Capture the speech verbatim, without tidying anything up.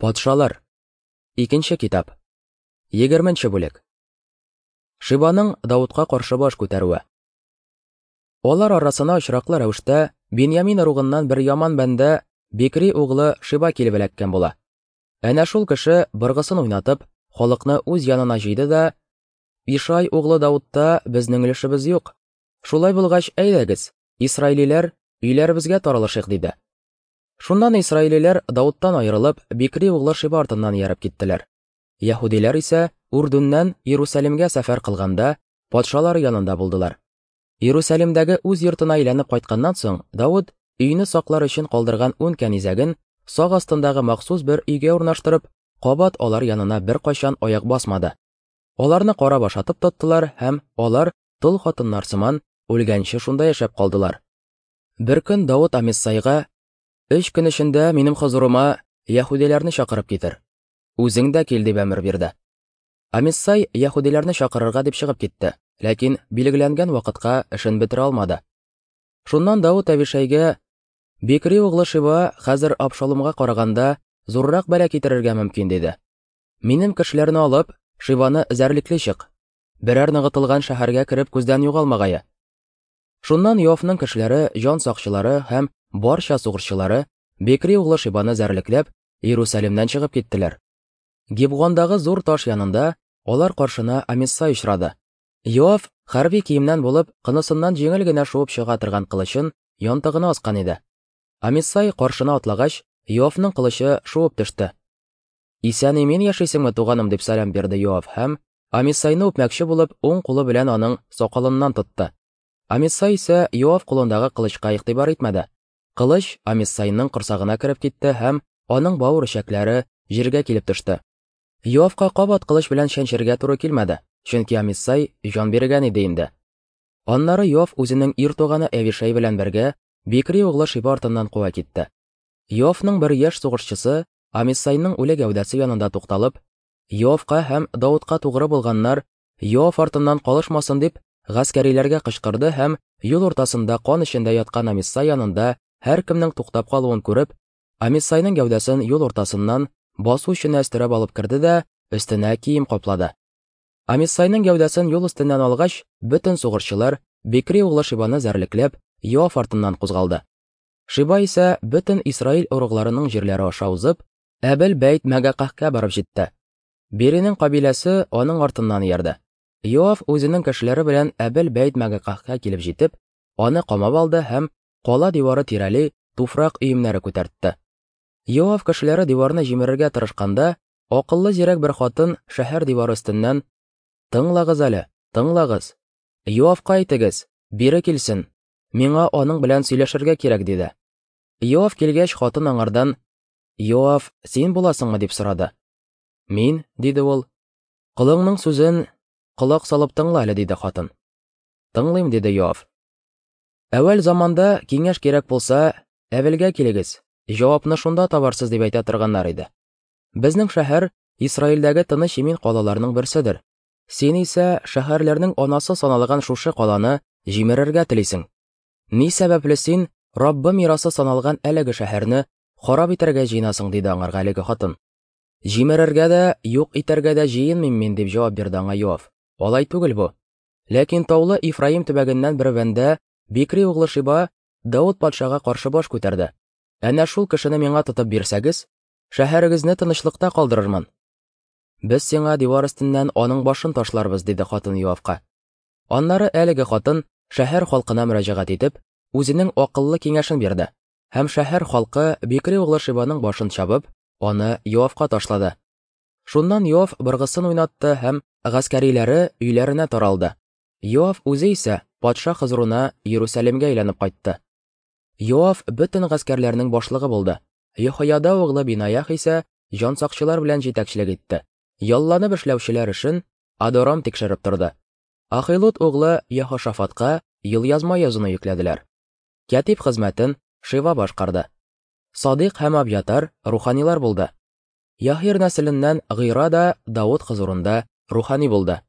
Патшалар. Икенче китап. Егерменче бүлек. Шибаның Даутка каршы баш күтәрүе. Алар арасына очраклы рәвештә Биньямин ыругыннан бер яман бәндә Бикри углы Шиба килеп эләккән була. Әнә шул кеше быргысын уйнатып, халыкны үз янына җыйды да: "Ишай углы Даутта безнең өлешебез юк. Шулай булгач, әйдәгез, исраилиләр, өйләребезгә таралышыйк", диде. Шуннан исраилиләр Дауттан аерылып, Бикри углы Шиба артыннан ияреп киттеләр. Яһүдиләр исә Үрдүннән Иерусалимгә сәфәр кылганда патшалар янында булдылар. Иерусалимдәге үз йортына әйләнеп кайтканнан соң, Дауд өйне саклар өчен калдырган ун кәнизәген сак астындагы махсус бер өйгә урнаштырып, кабат алар янына беркайчан аяк басмады. Аларны карап ашатып тоттылар һәм алар тол хатыннар сыман үлгәнче шунда яшәп калдылар. Бер көн Дауд Амиссайга: "Өч көн эчендә минем хозурыма яһүдиләрне чакырып китер. Үзең дә кил", дип әмер бирде. Амиссай яһүдиләрне чакырырга дип чыгып китте, ләкин билгеләнгән вакытка эшен бетерә алмады. Шуннан Дауд Әбишәйгә: "Бикри углы Шиба хәзер Абшаломга караганда зуррак бәла китерергә мөмкин", диде. "Минем кешеләрне алып, Шибаны эзәрлекли чык. Берәр ныгытылган шәһәргә кереп күздән югалмагае". Шуннан Йоавның кешеләре, җан сакчылары һәм барча сугышчылары Бикри углы Шибаны эзәрлекләп, Иерусалимнән чыгып киттеләр. Гибгондагы зур таш янында алар каршына Амиссай очрады. Йоав хәрби киемнән булып, кынысыннан җиңел генә шуып чыга торган кылычын янтыгына аскан иде. Амиссай каршына атлагач, Йоавның кылычы шуып төште. "Исән-имин яшисеңме, туганым?" дип сәлам бирде Йоав һәм Амиссайны үпмәкче булып, уң кулы белән аның сакалыннан тотты. Амиссай исә Йоав кулындагы кылычка игътибар итмәде. Кылыч Амиссайның корсагына кереп китте һәм аның бавыр эчәкләре җиргә килеп төште. Йоавка кабат кылыч белән чәнчергә туры килмәде, чөнки Амиссай җан биргән иде инде. Аннары Йоав үзенең ир туганы Әвишәй белән бергә Бикри углы Шиба артыннан куа китте. Йоавның бер яшь сугышчысы Амиссайның үле гәүдәсе янында тукталып, Йоавка һәм Даутка тугры булганнар Йоав артыннан калышмасын дип гаскәриләргә кычкырды һәм юл уртасында кан эчендә яткан Амиссай янында һәркемнең туктап калуын күреп, Амиссайның гәүдәсен юл уртасыннан басу эченә өстерәп алып керде дә өстенә кием каплады. Амиссайның гәүдәсен юл өстеннән алгач, бөтен сугышчылар Бикри углы Шибаны эзәрлекләп, Йоав артыннан кузгалды. Шиба исә бөтен Исраил ыругларының җирләре аша узып, Әбел Бәйт Мәгакәһкә барып җитте. Биринең кабиләсе аның артыннан иярде. Йоав үзенең кешеләре белән Әбел Бәйт Мәгакәһкә килеп җитеп, аны камап алды һәм кала дивары тирәли туфрак өемнәре күтәртте. Йоав кешеләре диварны җимерергә тырышканда, акыллы зирәк бер хатын шәһәр дивары өстеннән: "Тыңлагыз әле, тыңлагыз. Йоавка әйтегез, бире килсен. Миңа аның белән сөйләшергә кирәк", диде. Йоав килгәч, хатын аңардан: "Йоав, син буласыңмы?" дип сорады. "Мин", диде ул. "Колыңның сүзен колак салып тыңла әле", диде хатын. "Тыңлыйм", диде Йоав. "Әүвәл заманда киңәш кирәк булса, Әвелгә килегез, җавапны шунда табарсыз дип әйтә торганнар иде. Безнең шәһәр Исраилдәге тыныч имин калаларның берседер. Син исә шәһәрләрнең анасы саналган шушы каланы җимерергә телисең. Ни сәбәпле син Раббы мирасы саналган әлеге шәһәрне харап итәргә җыенасың?" диде аңарга әлеге хатын. "Җимерергә дә, юк итәргә дә җыенмыйм мин", дип җавап бирде аңа Йоав. "Алай түгел бу. Ләкин таулы Ифраим төбәгеннән бер бәндә Бикри углы Шиба Дауд патшага каршы баш күтәрде. Әнә шул кешене миңа тотып бирсәгез, шәһәрегезне тынычлыкта калдырырмын. Без сиңа дивар өстеннән аның башын ташларбыз", диде хатын Йоавка. Аннары әлеге хатын шәһәр халкына мөрәҗәгать итеп, үзенең акыллы киңәшен бирде. Һәм шәһәр халкы Бикри углы Шибаның башын чабып, аны Йоавка ташлады. Шуннан Йоав быргысын уйнатты һәм гаскәриләре өйләренә таралды. Йоав үзе исә патша хозурына Иерусалимгә әйләнеп кайтты. Йоав бөтен гаскәрләрнең башлыгы булды. Йехояда углы Бинаях исә җан сакчылар белән җитәкчелек итте. Ялланып эшләүчеләр эшен Адорам тикшереп торды. Ахилут углы Яһошафатка елъязма язуны йөкләделәр. Кәтип хезмәтен Шива башкарды. Садыйк һәм Абьятар руханилар булды. Яһир нәселеннән Гыйра да Дауд хозурында рухани булды.